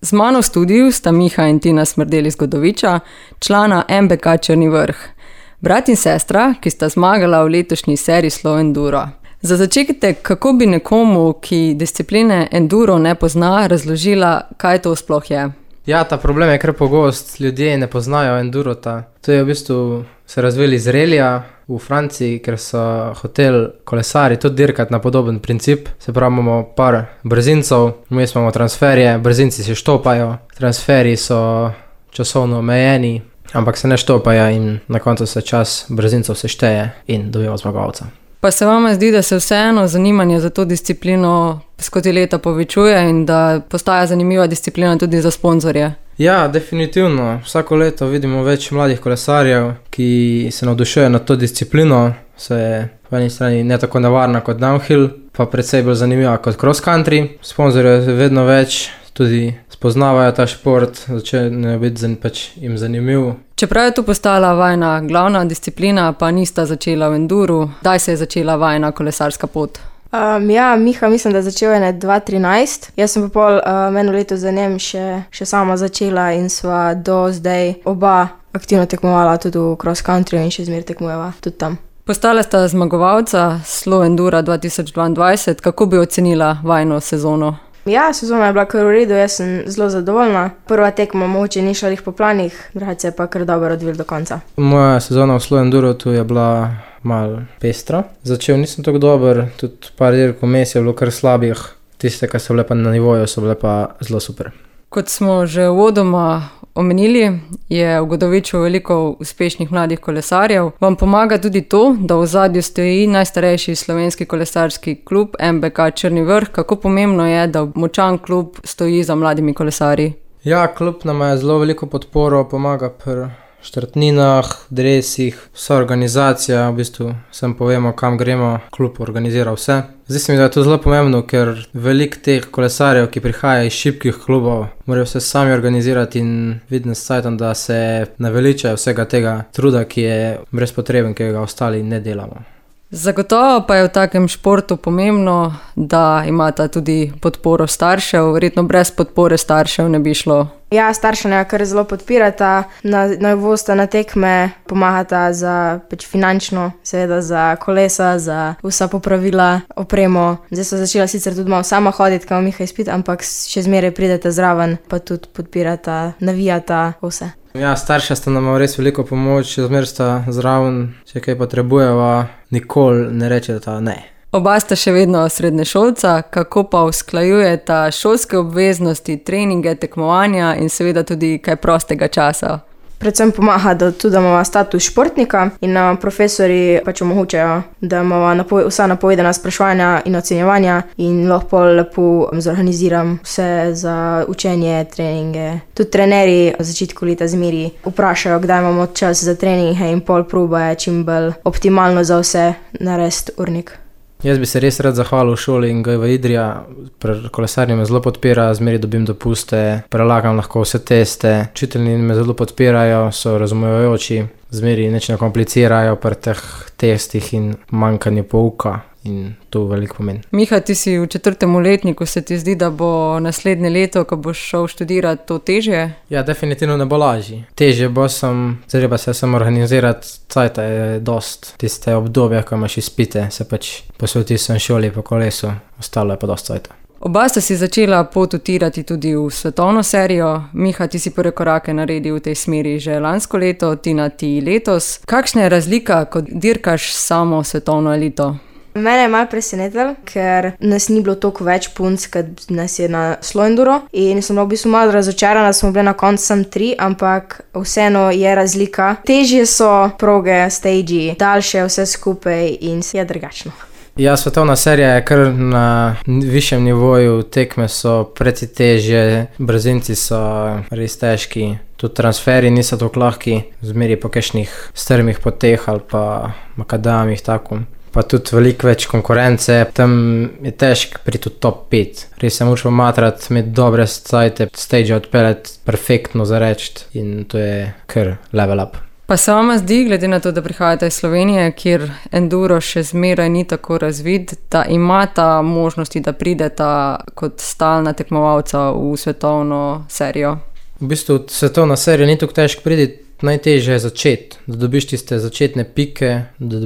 Z mano v studiu sta Miha in Tina Smrdel iz Godoviča, člana MBK Črni vrh. Brat in sestra, ki sta zmagala v letošnji seriji Slow Enduro. Za začetek, kako bi nekomu, ki discipline enduro ne pozna, razložila, kaj to sploh je? Ja, ta problem je kar pogost, ljudje ne poznajo endurota. To je v bistvu se razvili iz relija v Franciji, ker so hoteli kolesari tudi dirkati na podoben princip. Se pravi, imamo par brzincov, mi imamo transferje, brzinci se štopajo, transferji so časovno omejeni, ampak se ne štopajo in na koncu se čas brzincov sešteje in dobimo zmagovalca. Pa se vama zdi, da se vseeno zanimanje za to disciplino skozi leta povečuje in da postaja zanimiva disciplina tudi za sponzorje? Ja, definitivno. Vsako leto vidimo več mladih kolesarjev, ki se navdušujejo nad to disciplino. Se je po eni strani ne tako nevarna kot downhill, pa precej bolj zanimiva kot cross country. Sponzorjev je vedno več, tudi spoznavajo ta šport, začne biti jim zanimiv. Čeprav je to postala vajna glavna disciplina, pa nista začela v enduru, kdaj se je začela vajna kolesarska pot? Ja, Miha mislim, da je začel 2013. Jaz sem pa pol eno leto za njem še sama začela in sva do zdaj oba aktivno tekmovala tudi v cross country in še zmeraj tekmujeva tudi tam. Postala sta zmagovalca Slow Endura 2022. Kako bi ocenila vajno sezono? Ja, sezona je bila kar v redu, jaz sem zelo zadovoljna. Prva tekma mogoče ni šla po planih, drugače je pa kar dobro odvil do konca. Moja sezona v Slow Enduro tu je bila malo pestra. Začel nisem tako dober, tudi par dirk vmes je bilo kar slabih. Tiste, ki so bile pa na nivoju, so bile pa zelo super. Kot smo že uvodoma omenili, je v Godoviču veliko uspešnih mladih kolesarjev. Vam pomaga tudi to, da v ozadju stoji najstarejši slovenski kolesarski klub MBK Črni vrh. Kako pomembno je, da močan klub stoji za mladimi kolesarji? Ja, klub nam je zelo veliko podporo, pomaga pri štartninah, dresih, vsa organizacija, v bistvu sem povemo, kam gremo, klub organizira vse. Zdi se mi, da je to zelo pomembno, ker veliko teh kolesarjev, ki prihajajo iz šibkih klubov, morajo vse sami organizirati in vidno s cajtom, da se naveličajo vsega tega truda, ki je brezpotreben, ki ga ostali ne delamo. Zagotovo pa je v takem športu pomembno, da imata tudi podporo staršev. Verjetno brez podpore staršev ne bi šlo. Ja, starša ne kar zelo podpirata, na uvosta na tekme pomagata za finančno, seveda za kolesa, za vsa popravila, opremo. Zdaj so začela sicer tudi malo sama hoditi, kao Miha izpit, ampak še zmeraj pridete zraven, pa tudi podpirata, navijata vse. Ja, starša sta nam res veliko pomoč, zmer sta zraven, če kaj potrebujeva, nikoli ne rečeta ne. Oba sta še vedno srednješolca, kako pa usklajujeta šolske obveznosti, treninge, tekmovanja in seveda tudi kaj prostega časa? Predvsem pomaga, da tudi imamo status športnika in profesori pač omogočajo, da imamo vsa napovedana spraševanja in ocenjevanja in lahko lepo zorganiziram vse za učenje, treninge. Tudi trenerji v začetku leta zmeri vprašajo, kdaj imamo čas za treninge in pol probe čim bolj optimalno za vse narediti urnik. Jaz bi se res rad zahvalil šoli in GV Idrija, kolesarji me zelo podpira, zmeri dobim dopuste, prelagam lahko vse teste, učitelji me zelo podpirajo, so razumevajoči, zmeri nič ne komplicirajo pri teh testih in manjkanju pouka in to veliko pomeni. Miha, ti si v 4. letniku, se ti zdi, da bo naslednje leto, ko boš šel študirati, to težje? Ja, definitivno ne bo lažje. Težje bo treba se organizirati, cajta je dost, tiste obdobja, ko imaš izpite, se pač posvetil sem šoli po kolesu, ostalo je pa dost cajta. Oba sta si začela pot utirati tudi v svetovno serijo. Miha, ti si prve korake naredil v tej smeri že lansko leto, Tina ti letos. Kakšna je razlika, ko dirkaš samo svetovno elito? Mene je malo presenetilo, ker nas ni bilo toliko več punc, kot nas je na Slow Enduro in sem v bistvu malo razočarana, smo bile na koncu samo 3, ampak vseeno je razlika. Težje so proge, stagi, daljše vse skupaj in je drugačno. Ja, svetovna serija je kar na višjem nivoju, tekme so precej težje, brzinci so res težki, tudi transferi niso tako lahki, zmeri po kakšnih strmih poteh ali pa makadamih tako. Pa tudi veliko več konkurence, tam je težko priti v top 5. Res se moraš pomatrati, imeti dobre cajte, stage odpeljati, perfektno zareči in to je kar level up. Pa se vama zdi, glede na to, da prihajate iz Slovenije, kjer enduro še zmeraj ni tako razvit, da imata možnosti, da prideta kot stalna tekmovalca v svetovno serijo? V bistvu svetovna serija ni tako težko priti, najtežje je začeti, da dobiš tiste začetne pike, da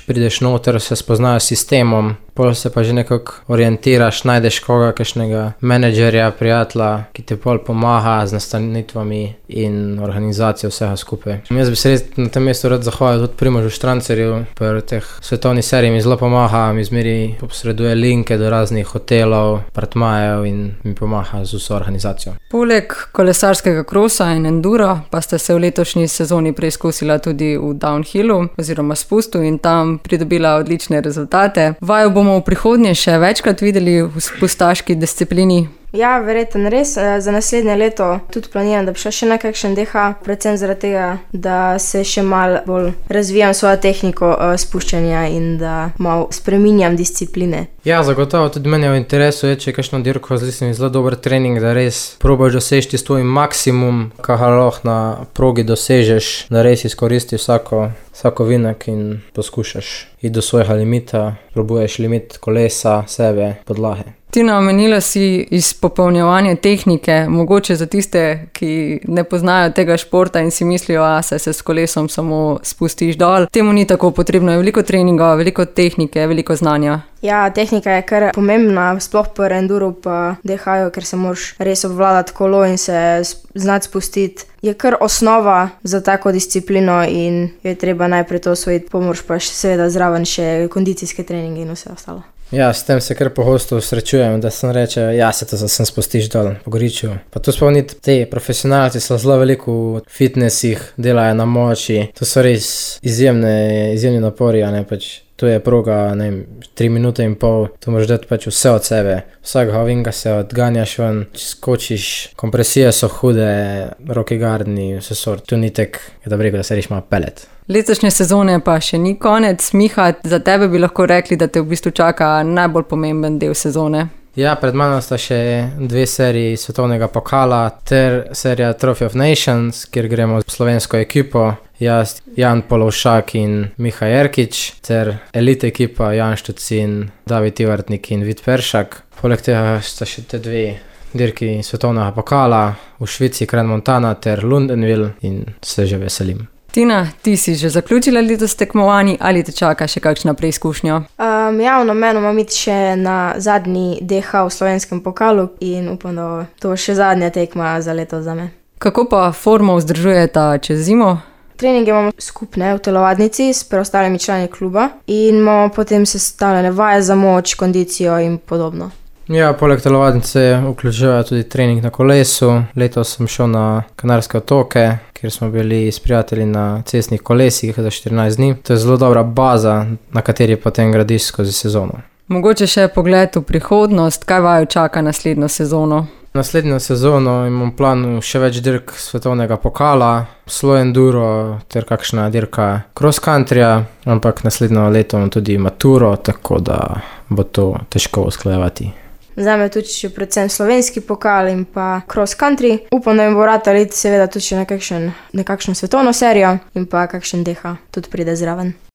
prideš noter, se spoznajo s sistemom, pol se pa že nekako orientiraš, najdeš koga, kakšnega menedžerja, prijatelja, ki ti pol pomaga z nastanitvami in organizacijo vsega skupaj. Jaz bi se res na tem mestu rad zahvalil tudi Primožu Štrancerju, pri teh svetovnih serijah mi zelo pomaga, mi zmeri posreduje linke do raznih hotelov, apartmajev in mi pomaga z vso organizacijo. Poleg kolesarskega krosa in endura pa ste se v letošnji sezoni preizkusila tudi v downhillu oziroma spustu in tam pridobila odlične rezultate. Vaju bomo v prihodnje še večkrat videli v spustaški disciplini? Ja, verjetno res. Za naslednje leto tudi planiram, da bi šla še na kakšen DH, predvsem zaradi tega, da se še malo bolj razvijam svojo tehniko spuščanja in da malo spreminjam discipline. Ja, zagotovo tudi meni v interesu je, če je kakšno dirko z zelo dober trening, da res probaš doseči svoj maksimum, kar lahko na progi dosežeš, da res izkoristiš vsako vinek in poskušaš iti do svojega limita, probuješ limit kolesa, sebe, podlahe. Tina, omenila si izpopolnjevanje tehnike, mogoče za tiste, ki ne poznajo tega športa in si mislijo, se s kolesom samo spustiš dol. Temu ni tako, potrebno je veliko treninga, veliko tehnike, veliko znanja. Ja, tehnika je kar pomembna, sploh pri enduru pa DH-ju, ker se moraš res obvladati kolo in se znati spustiti. Je kar osnova za tako disciplino in je treba najprej to osvojiti, pomoč pa seveda zraven še kondicijske treninge in vse ostalo. Ja, s tem se kar pogosto srečujem, da sem reče, se to sem spustiš dol po goriču. Pa tu spomniti, te profesionalci so zelo veliko v fitnessih, delajo na moči, to so res izjemni napori, tu je proga, 3 minute in pol, tu moraš dati vse od sebe. Vsakega ovinka se odganjaš ven, skočiš, kompresije so hude, roki gardni, vse sort. Tu ni tek, da bi rekel, da se reš malo pelet. Letošnje sezone pa še ni konec. Miha, za tebe bi lahko rekli, da te v bistvu čaka najbolj pomemben del sezone. Ja, pred mano sta še 2 seriji svetovnega pokala ter serija Trophy of Nations, kjer gremo s slovensko ekipo. Jaz, Jan Polovšak in Miha Jerkič ter elite ekipa Jan Štucin, David Ivartnik in Vid Peršak. Poleg tega sta še te 2 dirki svetovnega pokala v Švici, Crans-Montana ter Lundenville in se že veselim. Tina, ti si že zaključila letos tekmovanje ali te čaka še kakšna preizkušnja? Ja, v namenu imam iti še na zadnji DH v slovenskem pokalu in upam, da to še zadnja tekma za leto za me. Kako pa formo vzdržujeta čez zimo? Treninge imamo skupne v telovadnici s preostalimi člani kluba in imamo potem sestavljene vaje za moč, kondicijo in podobno. Ja, poleg telovadnice vključujejo tudi trening na kolesu. Letos sem šel na Kanarske otoke, kjer smo bili s prijatelji na cestnih kolesih za 14 dni. To je zelo dobra baza, na kateri potem gradiš skozi sezono. Mogoče še pogled v prihodnost, kaj vaju čaka naslednjo sezono? Naslednjo sezono imam v planu še več dirk svetovnega pokala, slow enduro ter kakšna dirka cross countryja, ampak naslednjo leto imam tudi maturo, tako da bo to težko usklajevati. Zame tudi še predvsem slovenski pokal in pa cross country. Upam, da mi bo ratalo iti seveda tudi še na kakšno svetovno serijo in pa kakšen DH tudi pride zraven.